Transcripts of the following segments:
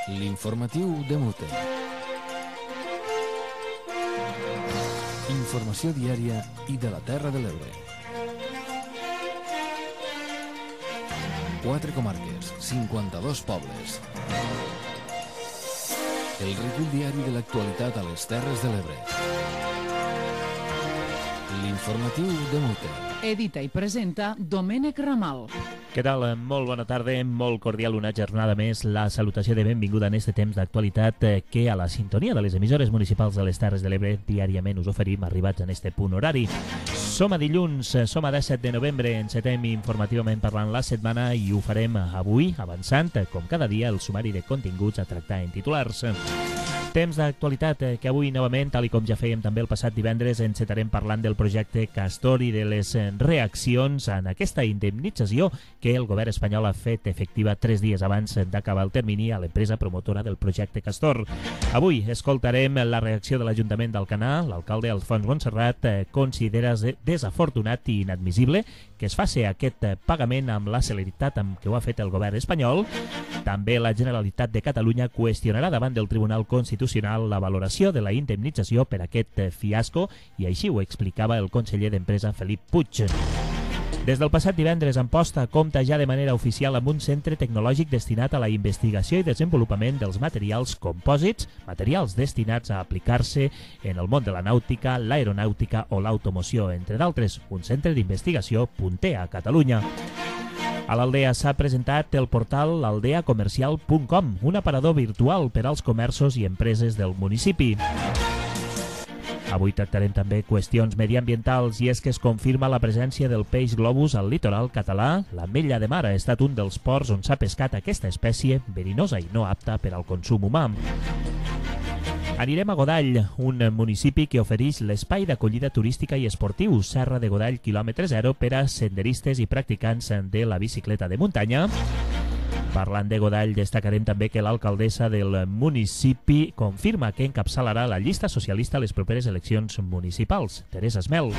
L'informatiu de Mute. Informació diària i de la Terra de l'Ebre. 4 comarques, 52 pobles. El recull diari de l'actualitat a les Terres de l'Ebre. L'informatiu de Mute. Edita i presenta Domènec Ramal. Què tal? Molt bona tarda, molt cordial una jornada més. La salutació de benvinguda en este temps d'actualitat que a la sintonia de les emissores municipals de les Terres de l'Ebre diàriament us oferim arribats en este punt horari. Som a dilluns, som a 17 de novembre, encetem informativament parlant la setmana i ho farem avui, avançant, com cada dia, el sumari de continguts a tractar en titulars. Temps d'actualitat que avui novament, tal com ja fèiem també el passat divendres, encetarem parlant del projecte Castor i de les reaccions en aquesta indemnització que el govern espanyol ha fet efectiva 3 dies abans d'acabar el termini a l'empresa promotora del projecte Castor. Avui escoltarem la reacció de l'Ajuntament d'Alcanar. L'alcalde Alfons Montserrat considera desafortunat i inadmissible que es faci aquest pagament amb la celeritat amb què ho ha fet el govern espanyol. També la Generalitat de Catalunya qüestionarà davant del Tribunal Constitucional la valoració de la indemnització per aquest fiasco i així ho explicava el conseller d'Empresa Felip Puig. Des del passat divendres, Amposta compta ja de manera oficial amb un centre tecnològic destinat a la investigació i desenvolupament dels materials compòsits, materials destinats a aplicar-se en el món de la nàutica, l'aeronàutica o l'automoció, entre d'altres, un centre d'investigació punter a Catalunya. A l'Aldea s'ha presentat el portal aldeacomercial.com, un aparador virtual per als comerços i empreses del municipi. Avui tractarem també qüestions mediambientals i és que es confirma la presència del peix globus al litoral català. L'Ametlla de Mar ha estat un dels ports on s'ha pescat aquesta espècie verinosa i no apta per al consum humà. Anirem a Godall, un municipi que ofereix l'espai d'acollida turística i esportiu Serra de Godall quilòmetre zero per a senderistes i practicants de la bicicleta de muntanya. Parlant de Godall, destacarem també que l'alcaldessa del municipi confirma que encapçalarà la llista socialista a les properes eleccions municipals, Teresa Esmel.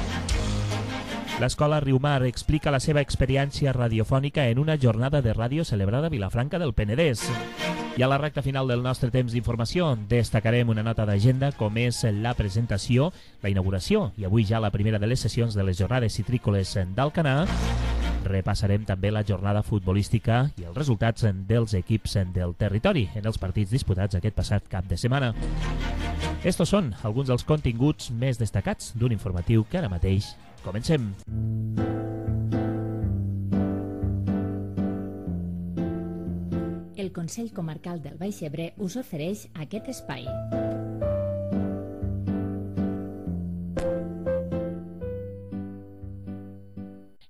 L'Escola Riumar explica la seva experiència radiofònica en una jornada de ràdio celebrada a Vilafranca del Penedès. I a la recta final del nostre temps d'informació destacarem una nota d'agenda com és la presentació, la inauguració i avui ja la primera de les sessions de les jornades citrícoles d'Alcanar. Repassarem també la jornada futbolística i els resultats dels equips del territori en els partits disputats aquest passat cap de setmana. Estos són alguns dels continguts més destacats d'un informatiu que ara mateix comencem. El Consell Comarcal del Baix Ebre us ofereix aquest espai.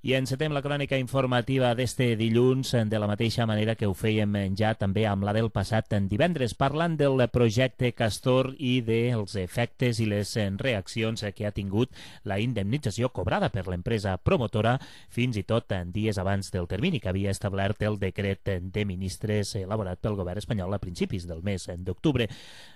I encetem la crònica informativa d'este dilluns de la mateixa manera que ho fèiem ja també amb la del passat divendres, parlant del projecte Castor i dels efectes i les reaccions que ha tingut la indemnització cobrada per l'empresa promotora fins i tot dies abans del termini que havia establert el decret de ministres elaborat pel govern espanyol a principis del mes d'octubre.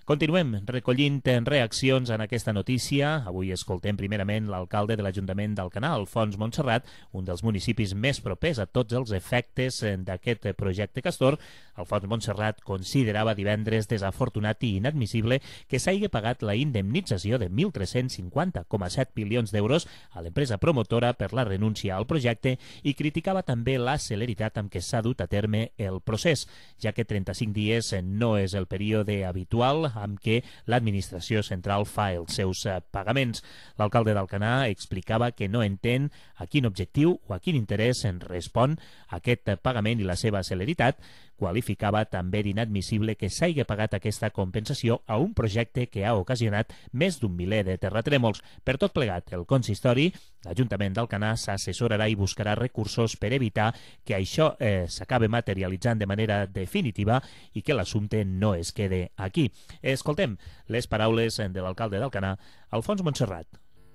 Continuem recollint reaccions en aquesta notícia. Avui escoltem primerament l'alcalde de l'Ajuntament d'Alcanar, Alfons Montserrat, un dels municipis més propers a tots els efectes d'aquest projecte Castor. Alfons Montserrat considerava divendres desafortunat i inadmissible que s'hagi pagat la indemnització de 1.350,7 milions d'euros a l'empresa promotora per la renúncia al projecte i criticava també la celeritat amb què s'ha dut a terme el procés, ja que 35 dies no és el període habitual amb què l'administració central fa els seus pagaments. L'alcalde d'Alcanar explicava que no entén a quin objectiu o a quin interès en respon aquest pagament i la seva celeritat. Qualificava també d'inadmissible que s'hagi pagat aquesta compensació a un projecte que ha ocasionat més d'un miler de terratrèmols. Per tot plegat, el consistori, l'Ajuntament d'Alcanar, s'assessorarà i buscarà recursos per evitar que això s'acabi materialitzant de manera definitiva i que l'assumpte no es quede aquí. Escoltem les paraules de l'alcalde d'Alcanar, Alfons Montserrat.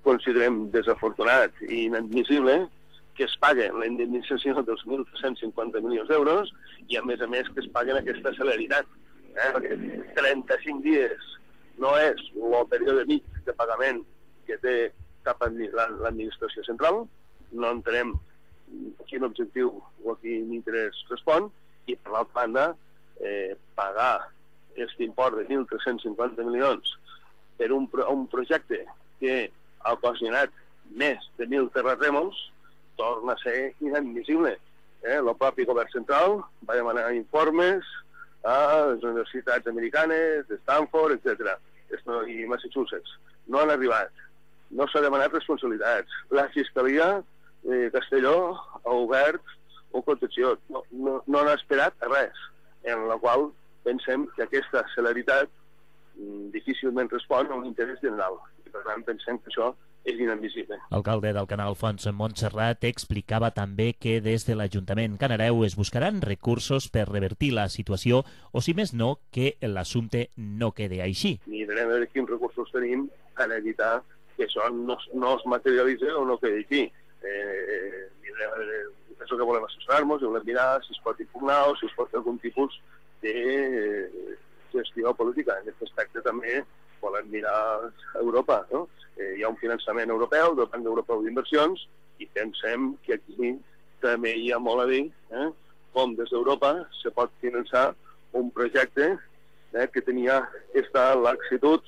Considerem desafortunat i inadmissible que es paguen la indemnització dels 1.350 milions d'euros i, a més, que es paguen aquesta celeritat. Perquè 35 dies no és el període mig de pagament que té cap a l'administració central. No entenem quin objectiu o a quin interès respon i, per l'altra banda, pagar aquest import de 1.350 milions per un projecte que ha ocasionat més de 1.000 terratrèmols, torna a ser inadmissible. El propi govern central va demanar informes a les universitats americanes, de Stanford, etc. I Massachusetts. No han arribat. No s'ha demanat responsabilitats. La Fiscalia de Castelló ha obert una contenció. No han esperat a res, en la qual pensem que aquesta celeritat difícilment respon a un interès general. I per tant pensem que això és inadmissible. L'alcalde d'Alcanar, Alfons Montserrat, explicava també que des de l'Ajuntament Canareu es buscaran recursos per revertir la situació o, si més no, que l'assumpte no quede així. Mirarem a veure quins recursos tenim per evitar que això no es materialitzi o no quedi aquí. Mirarem a veure això que volem assessorar-nos, volem mirar si es pot impugnar o si es pot fer algun tipus de gestió política. En aquest aspecte també volem mirar a Europa, no? Hi ha un finançament europeu, del Banc Europeu d'Inversions, i pensem que aquí també hi ha molt a dir com des d'Europa se pot finançar un projecte que tenia aquesta laxitud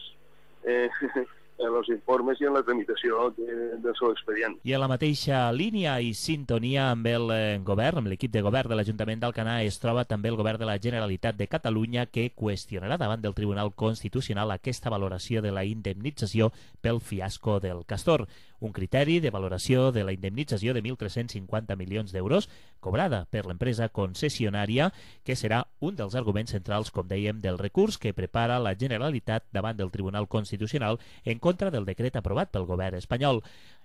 en els informes i en la tramitació del seu expedient. I a la mateixa línia i sintonia amb el govern, amb l'equip de govern de l'Ajuntament d'Alcanar, es troba també el govern de la Generalitat de Catalunya, que qüestionarà davant del Tribunal Constitucional aquesta valoració de la indemnització pel fiasco del Castor. Un criteri de valoració de la indemnització de 1.350 milions d'euros cobrada per l'empresa concessionària, que serà un dels arguments centrals, com dèiem, del recurs que prepara la Generalitat davant del Tribunal Constitucional en contra del decret aprovat pel govern espanyol.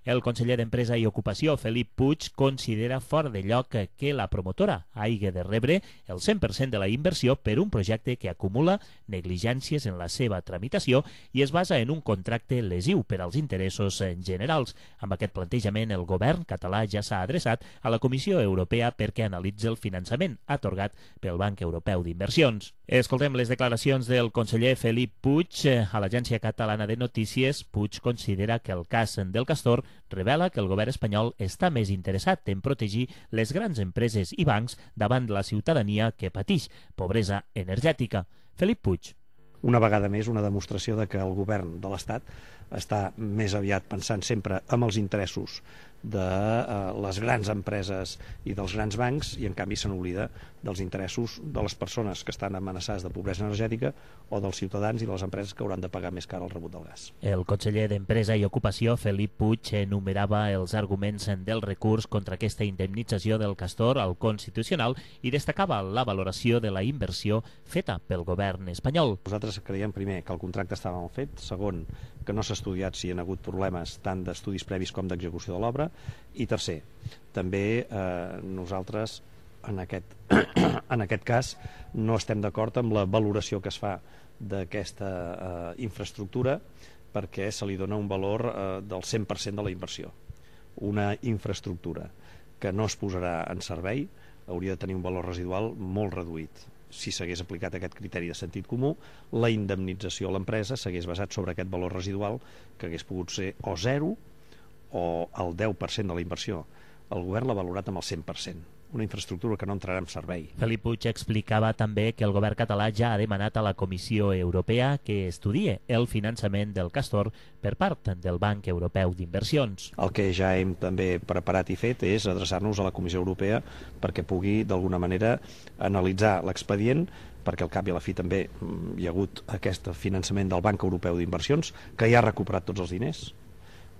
El conseller d'Empresa i Ocupació, Felip Puig, considera fora de lloc que la promotora hagi de rebre el 100% de la inversió per un projecte que acumula negligències en la seva tramitació i es basa en un contracte lesiu per als interessos generals. Amb aquest plantejament, el govern català ja s'ha adreçat a la Comissió Europea perquè analitzi el finançament atorgat pel Banc Europeu d'Inversions. Escoltem les declaracions del conseller Felip Puig a l'Agència Catalana de Notícies. Puig considera que el cas del Castor revela que el govern espanyol està més interessat en protegir les grans empreses i bancs davant la ciutadania que patix pobresa energètica. Felip Puig. Una vegada més, una demostració de que el govern de l'Estat està més aviat pensant sempre en els interessos de les grans empreses i dels grans bancs, i en canvi se n'oblida dels interessos de les persones que estan amenaçades de pobresa energètica o dels ciutadans i de les empreses que hauran de pagar més car el rebut del gas. El conseller d'Empresa i Ocupació, Felip Puig, enumerava els arguments del recurs contra aquesta indemnització del Castor al Constitucional i destacava la valoració de la inversió feta pel govern espanyol. Nosaltres creiem, primer, que el contracte estava mal fet, segon, que no s'ha estudiat si hi ha hagut problemes tant d'estudis previs com d'execució de l'obra, i tercer, també nosaltres en aquest cas no estem d'acord amb la valoració que es fa d'aquesta infraestructura, perquè se li dona un valor del 100% de la inversió. Una infraestructura que no es posarà en servei hauria de tenir un valor residual molt reduït. Si s'hagués aplicat aquest criteri de sentit comú, la indemnització a l'empresa s'hagués basat sobre aquest valor residual, que hagués pogut ser o 0 o el 10% de la inversió. El govern l'ha valorat amb el 100%. Una infraestructura que no entrarà en servei. Felip Puig explicava també que el govern català ja ha demanat a la Comissió Europea que estudie el finançament del Castor per part del Banc Europeu d'Inversions. El que ja hem també preparat i fet és adreçar-nos a la Comissió Europea perquè pugui d'alguna manera analitzar l'expedient, perquè al cap i a la fi també hi ha hagut aquest finançament del Banc Europeu d'Inversions, que ja ha recuperat tots els diners,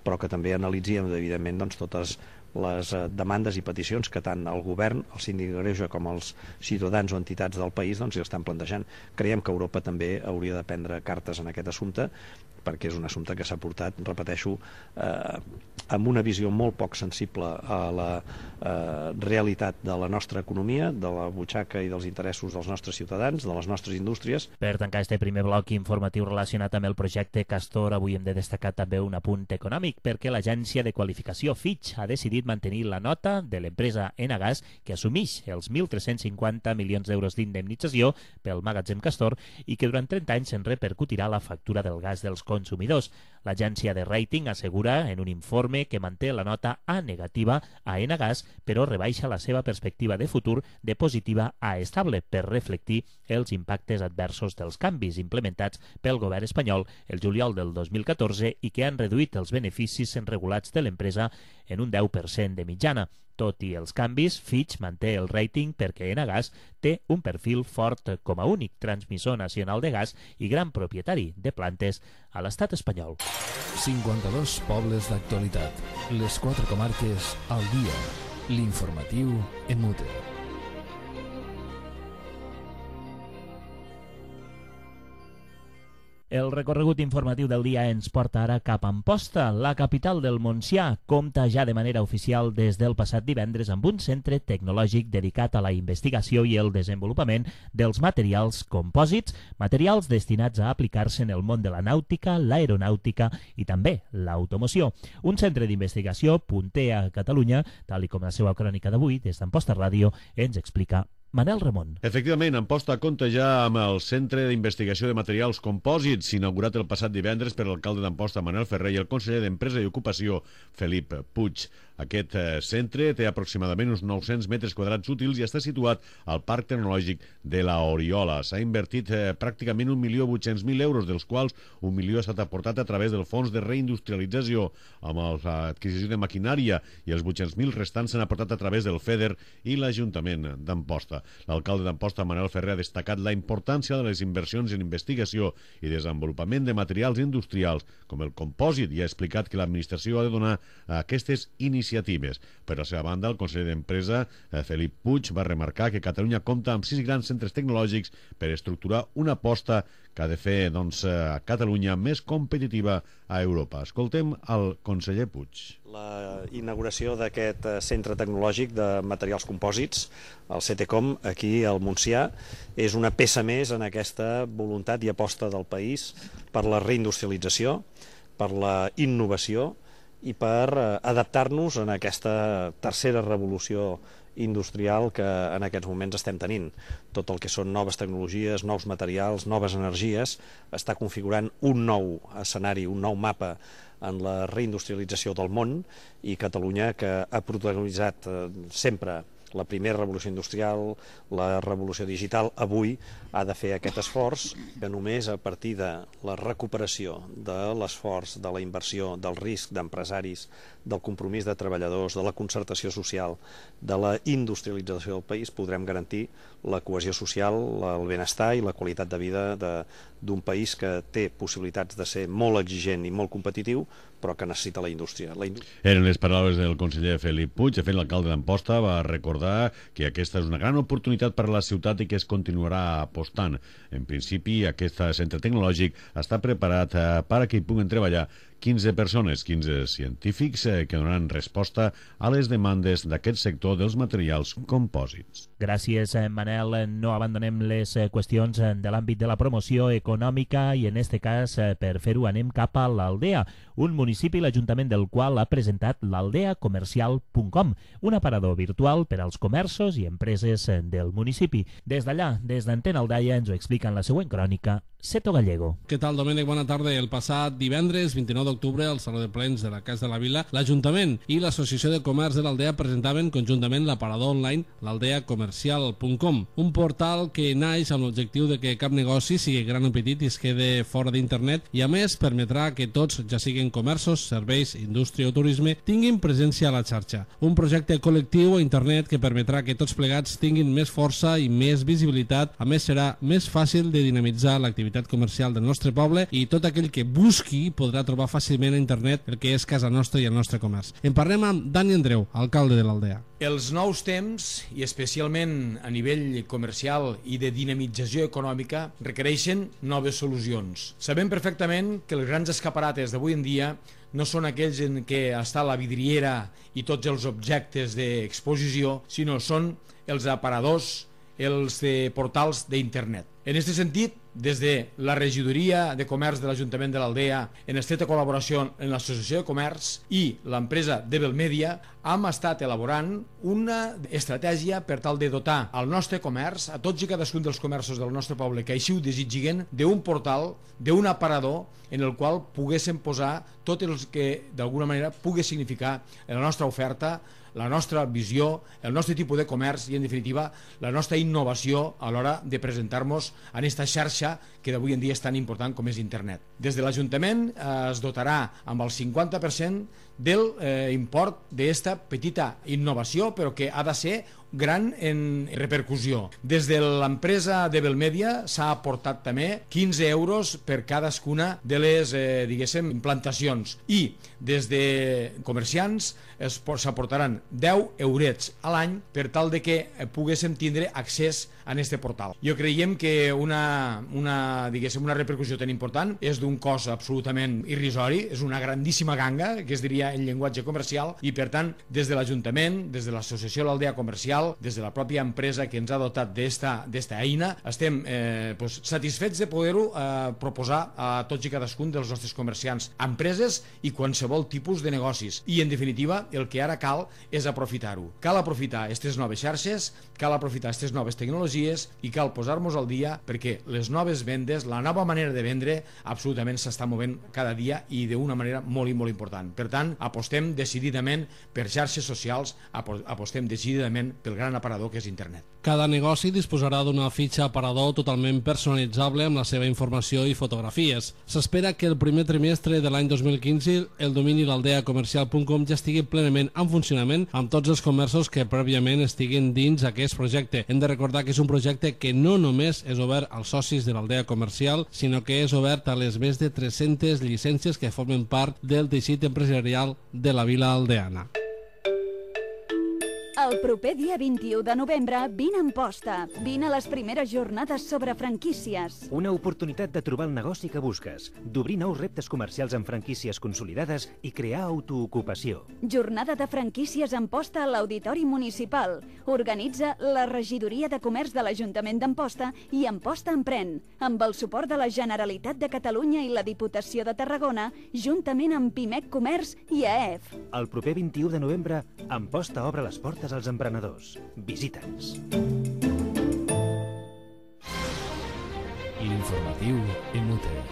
però que també analitzi, evidentment, doncs, totes les demandes i peticions que tant el govern, el síndic de Greuges, com els ciutadans o entitats del país doncs, hi estan plantejant. Creiem que Europa també hauria de prendre cartes en aquest assumpte, perquè és un assumpte que s'ha portat, repeteixo, amb una visió molt poc sensible a la realitat de la nostra economia, de la butxaca i dels interessos dels nostres ciutadans, de les nostres indústries. Per tancar este primer bloc informatiu relacionat amb el projecte Castor, avui hem de destacar també un apunt econòmic, perquè l'agència de qualificació Fitch ha decidit decidit mantenir la nota de l'empresa Enagás, que assumeix els 1.350 milions d'euros d'indemnització pel magatzem Castor i que durant 30 anys se'n repercutirà la factura del gas dels consumidors. L'agència de rating assegura en un informe que manté la nota A negativa a Enagás, però rebaixa la seva perspectiva de futur de positiva a estable per reflectir els impactes adversos dels canvis implementats pel govern espanyol el juliol del 2014 i que han reduït els beneficis regulats de l'empresa en un 10% de mitjana. Tot i els canvis, Fitch manté el rating perquè Enagás té un perfil fort com a únic transmissor nacional de gas i gran propietari de plantes a l'estat espanyol. 52 pobles d'actualitat. Les 4 comarques al dia. L'informatiu en Mute. El recorregut informatiu del dia ens porta ara cap a Amposta. La capital del Montsià compta ja de manera oficial des del passat divendres amb un centre tecnològic dedicat a la investigació i el desenvolupament dels materials compòsits, materials destinats a aplicar-se en el món de la nàutica, l'aeronàutica i també l'automoció. Un centre d'investigació punter a Catalunya, tal i com la seva crònica d'avui, des d'Amposta Ràdio, ens explica Manel Ramon. Efectivament, Amposta compta ja amb el Centre d'Investigació de Materials Compòsits, inaugurat el passat divendres per l'alcalde d'Amposta, Manel Ferrer, i el conseller d'Empresa i Ocupació, Felip Puig. Aquest centre té aproximadament uns 900 metres quadrats útils i està situat al Parc Tecnològic de la Oriola. S'ha invertit pràcticament 1.800.000 euros, dels quals 1 milió ha estat aportat a través del Fons de Reindustrialització amb l'adquisició de maquinària i els 800.000 restants s'han aportat a través del FEDER i l'Ajuntament d'Amposta. L'alcalde d'Amposta, Manel Ferrer, ha destacat la importància de les inversions en investigació i desenvolupament de materials industrials com el compòsit i ha explicat que l'administració ha de donar aquestes iniciatives. Per la seva banda, el conseller d'Empresa, Felip Puig, va remarcar que Catalunya compta amb 6 grans centres tecnològics per estructurar una aposta que ha de fer a Catalunya més competitiva a Europa. Escoltem el conseller Puig. La inauguració d'aquest centre tecnològic de materials compòsits, el CTCOM, aquí al Montsià, és una peça més en aquesta voluntat i aposta del país per la reindustrialització, per la innovació i per adaptar-nos en aquesta tercera revolució industrial que en aquests moments estem tenint. Tot el que són noves tecnologies, nous materials, noves energies, està configurant un nou escenari, un nou mapa en la reindustrialització del món, i Catalunya, que ha protagonitzat sempre la primera revolució industrial, la revolució digital, avui ha de fer aquest esforç que només a partir de la recuperació de l'esforç, de la inversió, del risc d'empresaris, del compromís de treballadors, de la concertació social, de la industrialització del país, podrem garantir la cohesió social, el benestar i la qualitat de vida d'un país que té possibilitats de ser molt exigent i molt competitiu, però que necessita la indústria. Eren les paraules del conseller Felip Puig. De fet, l'alcalde d'Amposta va recordar que aquesta és una gran oportunitat per a la ciutat i que es continuarà apostant. En principi, aquest centre tecnològic està preparat per a que hi puguen treballar 15 persones, 15 científics que donaran resposta a les demandes d'aquest sector dels materials compòsits. Gràcies, Manel. No abandonem les qüestions de l'àmbit de la promoció econòmica i en este cas, per fer-ho, anem cap a l'Aldea, un municipi l'Ajuntament del qual ha presentat l'aldeacomercial.com, un aparador virtual per als comerços i empreses del municipi. Des d'allà, des d'Antena Aldaia, ens ho explica en la següent crònica Seto Gallego. Què tal, Domènec? Bona tarda. El passat divendres, 29 d'octubre, al Saló de Plens de la Casa de la Vila, l'Ajuntament i l'Associació de Comerç de l'Aldea presentaven conjuntament l'aparador online l'aldeacomercial.com, un portal que naix amb l'objectiu de que cap negoci, sigui gran o petit, es quede fora d'internet i, a més, permetrà que tots, ja siguin comerços, serveis, indústria o turisme, tinguin presència a la xarxa. Un projecte col·lectiu a internet que permetrà que tots plegats tinguin més força i més visibilitat. A més, serà més fàcil de dinamitzar l'activitat comercial del nostre poble i tot aquell que busqui podrà trobar fàcilment a internet el que és casa nostra i el nostre comerç. En parlem amb Dani Andreu, alcalde de l'Aldea. Els nous temps, i especialment a nivell comercial i de dinamització econòmica, requereixen noves solucions. Sabem perfectament que els grans escaparates d'avui en dia no són aquells en què està la vidriera i tots els objectes d'exposició, sinó són els aparadors, els portals d'internet. En aquest sentit, des de la Regidoria de Comerç de l'Ajuntament de l'Aldea, en estreta col·laboració amb l'Associació de Comerç i l'empresa Debel Media, hem estat elaborant una estratègia per tal de dotar al nostre comerç, a tots i cadascun dels comerços del nostre poble que així ho desitgin, d'un portal, d'un aparador en el qual poguéssim posar tot el que d'alguna manera pugui significar la nostra oferta, la nostra visió, el nostre tipus de comerç i, en definitiva, la nostra innovació a l'hora de presentar-nos en aquesta xarxa que d'avui en dia és tan important com és internet. Des de l'Ajuntament es dotarà amb el 50% del import d'esta petita innovació, però que ha de ser gran en repercussió. Des de l'empresa Debel Media s'ha aportat també 15 euros per cadascuna de les, implantacions, i des de comerciants s'aportaran 10 eurets a l'any per tal de que poguéssim tindre accés a aquest portal. Jo creiem que una repercussió tan important és d'un cost absolutament irrisori, és una grandíssima ganga, que es diria en llenguatge comercial, i per tant, des de l'Ajuntament, des de l'Associació de l'Aldea Comercial, des de la pròpia empresa que ens ha dotat d'esta eina, estem satisfets de poder-ho proposar a tots i cadascun dels nostres comerciants, empreses i qualsevol tipus de negocis. I, en definitiva, el que ara cal és aprofitar-ho. Cal aprofitar aquestes noves xarxes, cal aprofitar aquestes noves tecnologies i cal posar-nos al dia perquè les noves vendes, la nova manera de vendre, absolutament s'està movent cada dia i d'una manera molt i molt important. Per tant, apostem decididament per xarxes socials, apostem decididament pel gran aparador que és internet. Cada negoci disposarà d'una fitxa aparador totalment personalitzable amb la seva informació i fotografies. S'espera que el primer trimestre de l'any 2015 el domini l'aldeacomercial.com ja estigui plenament en funcionament amb tots els comerços que prèviament estiguin dins aquest projecte. Hem de recordar que és un projecte que no només és obert als socis de l'Aldea Comercial, sinó que és obert a les més de 300 llicències que formen part del teixit empresarial de la vila aldeana. El proper dia 21 de novembre, vine a Amposta. Vine a les primeres jornades sobre franquícies. Una oportunitat de trobar el negoci que busques, d'obrir nous reptes comercials amb franquícies consolidades i crear autoocupació. Jornada de franquícies a Amposta a l'Auditori Municipal. Organitza la Regidoria de Comerç de l'Ajuntament d'Amposta i Amposta Emprèn, amb el suport de la Generalitat de Catalunya i la Diputació de Tarragona, juntament amb Pimec Comerç i AEF. El proper 21 de novembre, Amposta obre les portes als emprenedors. Visita'ns. L'informatiu en UTE.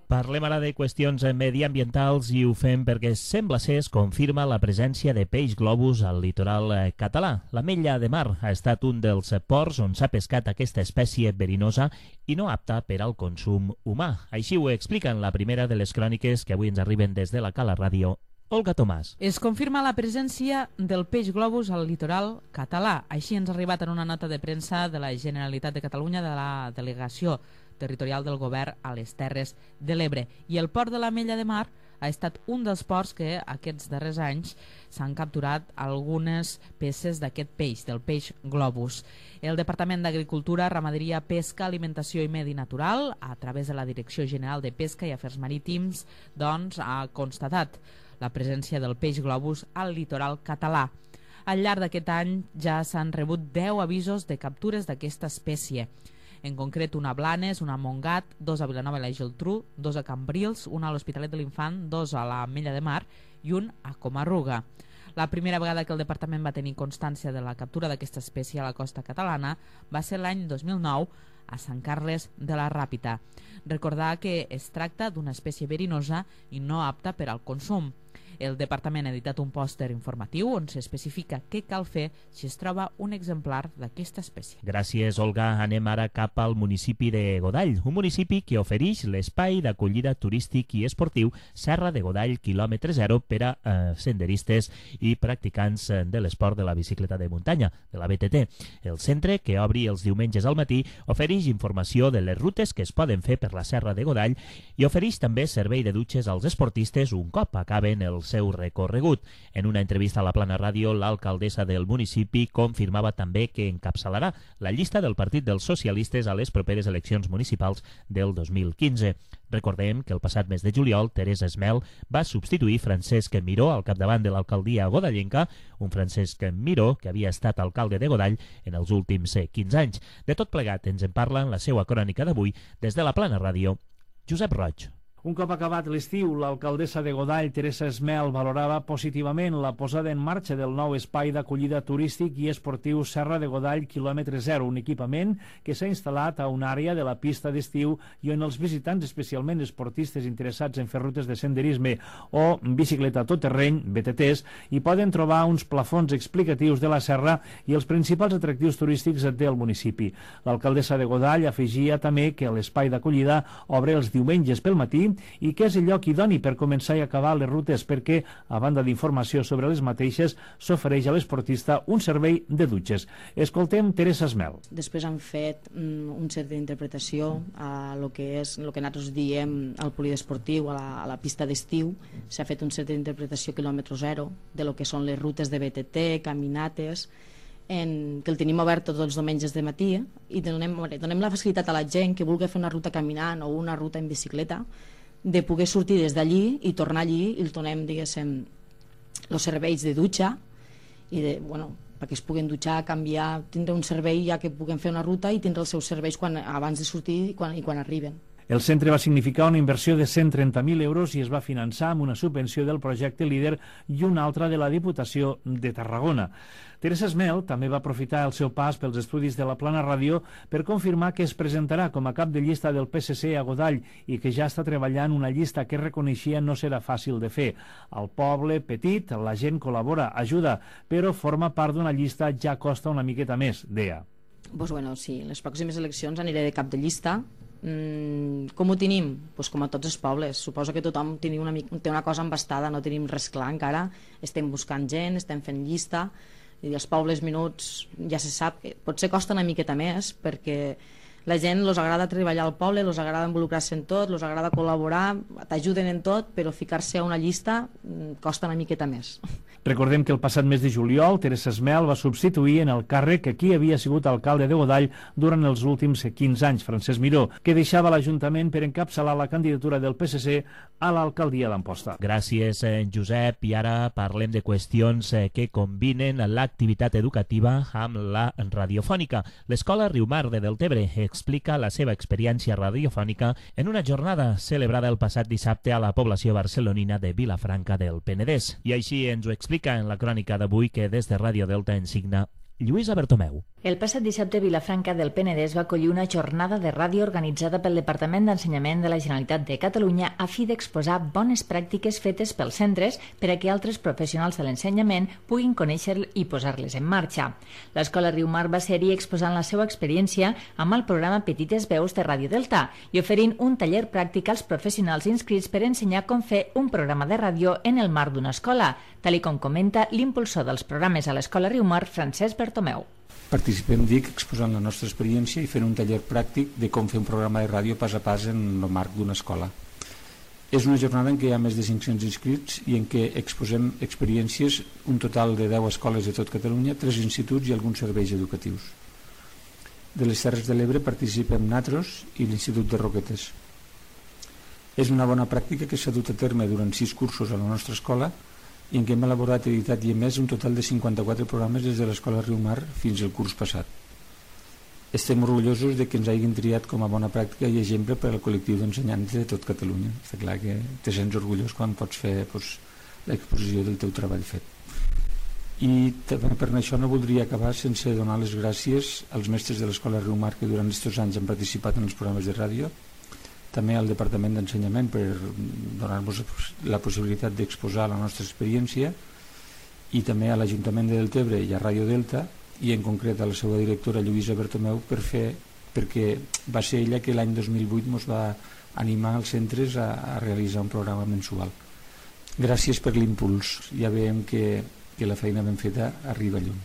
Parlem ara de qüestions mediambientals i ho fem perquè sembla ser es confirma la presència de peix globus al litoral català. L'Ametlla de Mar ha estat un dels ports on s'ha pescat aquesta espècie verinosa i no apta per al consum humà. Així ho explica en la primera de les cròniques que avui ens arriben des de la Cala Ràdio, Olga Tomàs. Es confirma la presència del peix globus al litoral català. Així ens ha arribat en una nota de premsa de la Generalitat de Catalunya de la Delegació Territorial del Govern a les Terres de l'Ebre. I el port de l'Ametlla de Mar ha estat un dels ports que aquests darrers anys s'han capturat algunes peces d'aquest peix, del peix globus. El Departament d'Agricultura, Ramaderia, Pesca, Alimentació i Medi Natural, a través de la Direcció General de Pesca i Afers Marítims, doncs, ha constatat la presència del peix globus al litoral català. Al llarg d'aquest any ja s'han rebut 10 avisos de captures d'aquesta espècie. En concret, una a Blanes, una a Montgat, 2 a Vilanova i la Geltrú, 2 a Cambrils, una a l'Hospitalet de l'Infant, 2 a l'Ametlla de Mar i un a Comarruga. La primera vegada que el departament va tenir constància de la captura d'aquesta espècie a la costa catalana va ser l'any 2009 a Sant Carles de la Ràpita. Recordar que es tracta d'una espècie verinosa i no apta per al consum. El departament ha editat un pòster informatiu on s'especifica què cal fer si es troba un exemplar d'aquesta espècie. Gràcies, Olga. Anem ara cap al municipi de Godall, un municipi que ofereix l'espai d'acollida turístic i esportiu Serra de Godall, quilòmetre zero, per a senderistes i practicants de l'esport de la bicicleta de muntanya, de la BTT. El centre, que obri els diumenges al matí, ofereix informació de les rutes que es poden fer per la Serra de Godall i ofereix també servei de dutxes als esportistes un cop acaben el el seu recorregut. En una entrevista a la Plana Ràdio, l'alcaldessa del municipi confirmava també que encapçalarà la llista del Partit dels Socialistes a les properes eleccions municipals del 2015. Recordem que el passat mes de juliol, Teresa Esmel va substituir Francesc Miró al capdavant de l'alcaldia godallenca, un Francesc Miró que havia estat alcalde de Godall en els últims 15 anys. De tot plegat ens en parla en la seva crònica d'avui des de la Plana Ràdio, Josep Roig. Un cop acabat l'estiu, l'alcaldessa de Godall, Teresa Esmel, valorava positivament la posada en marxa del nou espai d'acollida turístic i esportiu Serra de Godall quilòmetre 0, un equipament que s'ha instal·lat a una àrea de la pista d'estiu i on els visitants, especialment esportistes interessats en fer rutes de senderisme o bicicleta tot terreny, BTTs, hi poden trobar uns plafons explicatius de la serra i els principals atractius turístics del municipi. L'alcaldessa de Godall afegia també que l'espai d'acollida obre els diumenges pel matí i que és el lloc idoni per començar i acabar les rutes perquè, a banda d'informació sobre les mateixes, s'ofereix a l'esportista un servei de dutxes. Escoltem Teresa Esmel. Després han fet un cert d'interpretació a lo que és el que nosaltres diem al poliesportiu, a la pista d'estiu. S'ha fet un cert d'interpretació quilòmetre 0 de lo que són les rutes de BTT, caminates, que el tenim obert tots els diumenges de matí i donem la facilitat a la gent que vulgui fer una ruta caminant o una ruta en bicicleta de poder sortir des d'allí i tornar allí i els donem, diguéssim, els serveis de dutxa i perquè es puguen dutxar, canviar, tindre un servei ja que puguen fer una ruta i tindre els seus serveis abans de sortir i quan arriben. El centre va significar una inversió de 130.000 euros i es va finançar amb una subvenció del projecte LÍDER i una altra de la Diputació de Tarragona. Teresa Esmel també va aprofitar el seu pas pels estudis de la Plana Ràdio per confirmar que es presentarà com a cap de llista del PSC a Godall i que ja està treballant una llista que reconeixia no serà fàcil de fer. Al poble petit la gent col·labora, ajuda, però formar part d'una llista ja costa una miqueta més, deia. Sí, les pròximes eleccions aniré de cap de llista. Com ho tenim? Com a tots els pobles. Suposo que tothom té una cosa embastada, no tenim res clar encara, estem buscant gent, estem fent llista i els pobles menuts ja se sap que potser costa una miqueta més perquè la gent els agrada treballar al poble, els agrada involucrar-se en tot, els agrada col·laborar, t'ajuden en tot, però ficar-se a una llista costa una miqueta més. Recordem que el passat mes de juliol Teresa Esmel va substituir en el càrrec que qui havia sigut alcalde de Godall durant els últims 15 anys, Francesc Miró, que deixava l'Ajuntament per encapçalar la candidatura del PSC a l'alcaldia d'Amposta. Gràcies, Josep. I ara parlem de qüestions que combinen l'activitat educativa amb la radiofònica. L'Escola Riumar de Deltebre explica la seva experiència radiofònica en una jornada celebrada el passat dissabte a la població barcelonina de Vilafranca del Penedès. I així ens ho explica en la crònica d'avui que des de Ràdio Delta en signa Lluïsa Bertomeu. El passat dissabte Vilafranca del Penedès va acollir una jornada de ràdio organitzada pel Departament d'Ensenyament de la Generalitat de Catalunya a fi d'exposar bones pràctiques fetes pels centres per a que altres professionals de l'ensenyament puguin conèixer i posar-les en marxa. L'Escola Riumar va ser-hi exposant la seva experiència amb el programa Petites Veus de Ràdio Delta i oferint un taller pràctic als professionals inscrits per ensenyar com fer un programa de ràdio en el marc d'una escola, tal com comenta l'impulsor dels programes a l'Escola Riumar, Francesc Bertomeu. Participem, exposant la nostra experiència i fent un taller pràctic de com fer un programa de ràdio pas a pas en el marc d'una escola. És una jornada en què hi ha més de 500 inscrits i en què exposem experiències, un total de 10 escoles de tot Catalunya, 3 instituts i alguns serveis educatius. De les Terres de l'Ebre participem Natros i l'Institut de Roquetes. És una bona pràctica que s'ha dut a terme durant 6 cursos a la nostra escola i en què hem elaborat, editat i emès un total de 54 programes des de l'Escola Riumar fins al curs passat. Estem orgullosos de que ens hagin triat com a bona pràctica i exemple per al col·lectiu d'ensenyants de tot Catalunya. Està clar que te sents orgullós quan pots fer l'exposició del teu treball fet. I també per això no voldria acabar sense donar les gràcies als mestres de l'Escola Riumar que durant aquests anys han participat en els programes de ràdio, també al Departament d'Ensenyament per donar-nos la possibilitat d'exposar la nostra experiència i també a l'Ajuntament de Deltebre i a Ràdio Delta i en concret a la seva directora Lluïsa Bertomeu perquè va ser ella que l'any 2008 ens va animar als centres a realitzar un programa mensual. Gràcies per l'impuls, ja veiem que la feina ben feta arriba lluny.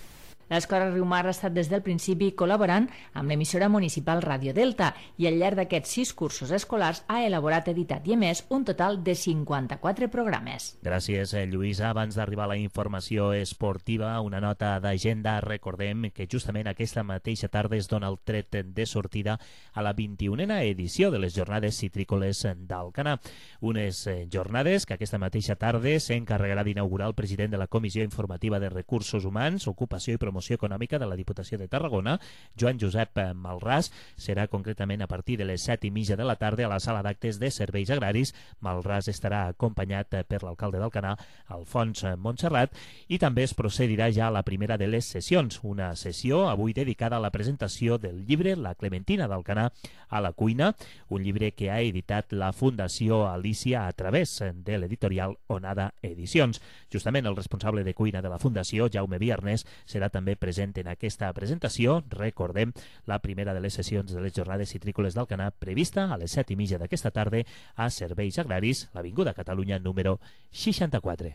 L'Escola Riumar ha estat des del principi col·laborant amb l'emissora municipal Ràdio Delta i al llarg d'aquests 6 cursos escolars ha elaborat, editat i emès un total de 54 programes. Gràcies, Lluïsa. Abans d'arribar a la informació esportiva, una nota d'agenda. Recordem que justament aquesta mateixa tarda es dona el tret de sortida a la 21a edició de les Jornades Citrícoles d'Alcanar. Unes jornades que aquesta mateixa tarda s'encarregarà d'inaugurar el president de la Comissió Informativa de Recursos Humans, Ocupació i Promoció Econòmica de la Diputació de Tarragona, Joan Josep Malràs. Serà concretament a partir de les 7:30 de la tarda a la sala d'actes de Serveis Agraris. Malràs estarà acompanyat per l'alcalde d'Alcanar, Alfons Montserrat, i també es procedirà ja a la primera de les sessions, una sessió avui dedicada a la presentació del llibre La Clementina d'Alcanar a la cuina, un llibre que ha editat la Fundació Alícia a través de l'editorial Onada Edicions. Justament el responsable de cuina de la Fundació, Jaume Viernes, serà també present en aquesta presentació. Recordem, la primera de les sessions de les Jornades Citrícoles d'Alcanar prevista a les 7:30 d'aquesta tarda a Serveis Agraris, l'Avinguda Catalunya número 64.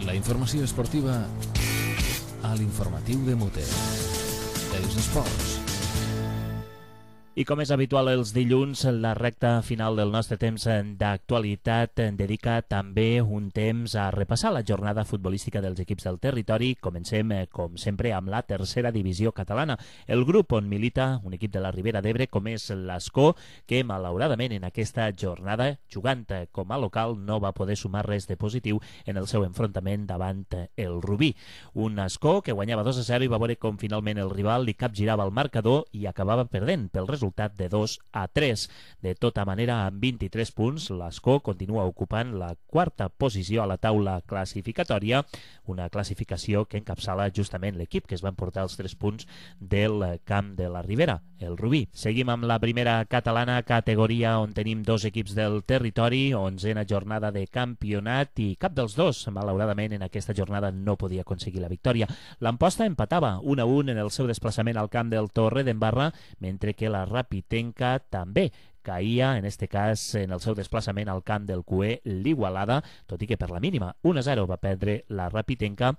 La informació esportiva a l'informatiu de Mute. Els esports. I com és habitual els dilluns, la recta final del nostre temps d'actualitat dedica també un temps a repassar la jornada futbolística dels equips del territori. Comencem, com sempre, amb la tercera divisió catalana. El grup on milita un equip de la Ribera d'Ebre com és l'Ascó, que malauradament en aquesta jornada, jugant com a local, no va poder sumar res de positiu en el seu enfrontament davant el Rubí. Un Ascó que guanyava 2-0 i va veure com finalment el rival li capgirava el marcador i acabava perdent pel resultat de 2-3. De tota manera, amb 23 punts, l'Ascó continua ocupant la quarta posició a la taula classificatòria, una classificació que encapçala justament l'equip que es va emportar els 3 punts del camp de la Ribera, el Rubí. Seguim amb la primera catalana, categoria on tenim 2 equips del territori, 11a jornada de campionat, i cap dels dos, malauradament, en aquesta jornada no podia aconseguir la victòria. L'Amposta empatava 1-1 en el seu desplaçament al camp del Torredembarra, mentre que la Rapitenca també caïa, en este cas, en el seu desplaçament al camp del Cué, l'Igualada, tot i que per la mínima 1-0 va perdre la Rapitenca.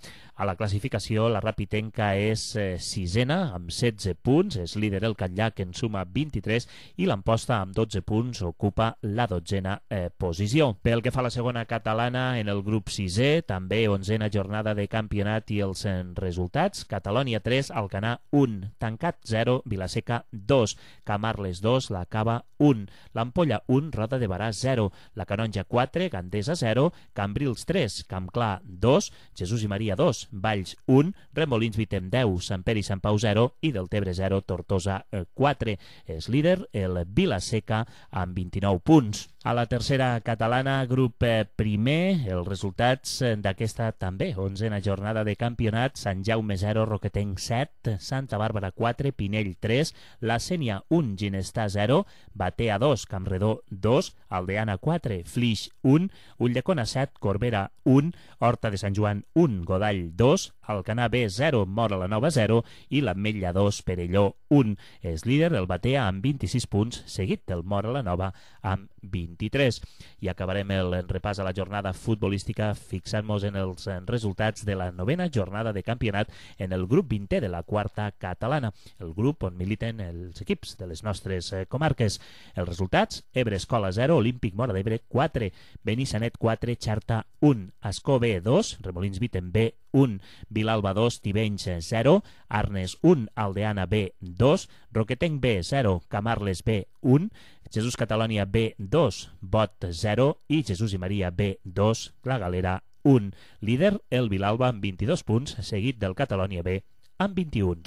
A la classificació, la Rapitenca és sisena, amb 16 punts, és líder el Catllà, que en suma 23, i l'Amposta, amb 12 punts, ocupa la 12a posició. Pel que fa a la segona catalana, en el grup 6è, també 11a jornada de campionat i els resultats: Catalònia 3, Alcanar 1, Tancat 0, Vilaseca 2, Camarles 2, la Cava 1, l'Ampolla 1, Roda de Barà 0, la Canonja 4, Gandesa 0, Cambrils 3, Campclar 2, Jesús i Maria 2, Valls 1, Remolins Vitem 10, Sant Pere i Sant Pau 0 i Deltebre 0, Tortosa 4. És líder el Vilaseca amb 29 punts. A la tercera catalana, grup primer, els resultats d'aquesta també 11a jornada de campionat: Sant Jaume 0, Roquetenc 7, Santa Bàrbara 4, Pinell 3, La Sénia 1, Ginestà 0, Batea 2, Campredó 2, Aldeana 4, Flix 1, Ulldecona 7, Corbera 1, Horta de Sant Joan 1, Godall 2, Alcanar B 0, Móra la Nova 0 i l'Ametlla 2, Perelló 1. És líder el Batea amb 26 punts, seguit del Móra la Nova amb 23. I acabarem el repàs a la jornada futbolística fixant-nos en els resultats de la novena jornada de campionat en el grup 20è de la quarta catalana, el grup on militen els equips de les nostres comarques. Els resultats: Ebre Escola 0, Olímpic Móra d'Ebre 4, Benissanet 4, Xarta 1, Ascó B 2, Remolins Vitem B 1, Vilalba 2, Tivenys 0, Arnes 1, Aldeana B 2, Roquetenc B 0, Camarles B 1, Jesús Catalònia B 2, Bot 0 i Jesús i Maria B 2, La Galera 1. Líder el Vilalba amb 22 punts, seguit del Catalònia B amb 21.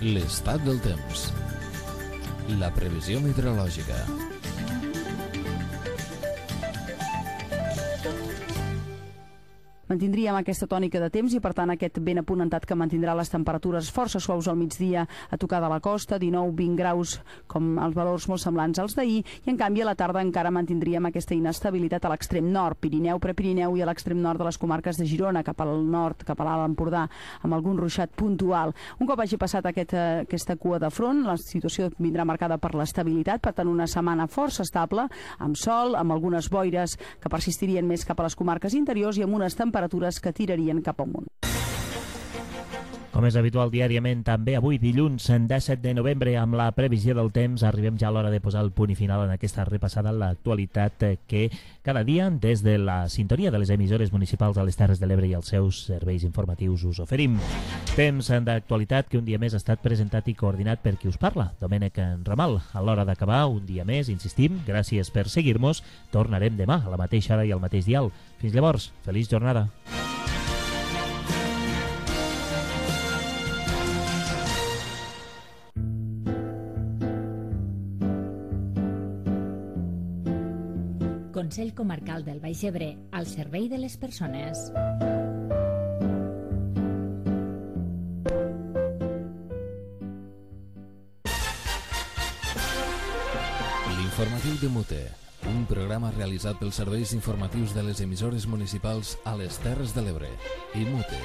L'estat del temps. La previsió meteorològica. Mantindríem aquesta tònica de temps i, per tant, aquest vent apunentat que mantindrà les temperatures força suaus al migdia a tocar de la costa, 19-20 graus, com els valors molt semblants als d'ahir, i en canvi a la tarda encara mantindríem aquesta inestabilitat a l'extrem nord, Pirineu, Prepirineu i a l'extrem nord de les comarques de Girona, cap al nord, cap a l'Alt Empordà, amb algun ruixat puntual. Un cop hagi passat aquesta cua de front, la situació vindrà marcada per l'estabilitat, per tant una setmana força estable, amb sol, amb algunes boires que persistirien més cap a les comarques interiors i amb unes temperatures temperatures que tirarien cap amunt. Com és habitual diàriament, també avui dilluns 17 de novembre, amb la previsió del temps, arribem ja a l'hora de posar el punt i final en aquesta repassada a l'actualitat que cada dia, des de la sintonia de les emissores municipals a les Terres de l'Ebre i els seus serveis informatius, us oferim. Temps d'actualitat que un dia més ha estat presentat i coordinat per qui us parla, Domènec Ramal. A l'hora d'acabar, un dia més, insistim, gràcies per seguir-nos. Tornarem demà a la mateixa hora i al mateix dial. Fins llavors, feliç jornada. Consell Comarcal del Baix Ebre, al servei de les persones. L'informatiu de Mute, un programa realitzat pels serveis informatius de les emissores municipals a les Terres de l'Ebre i Mute.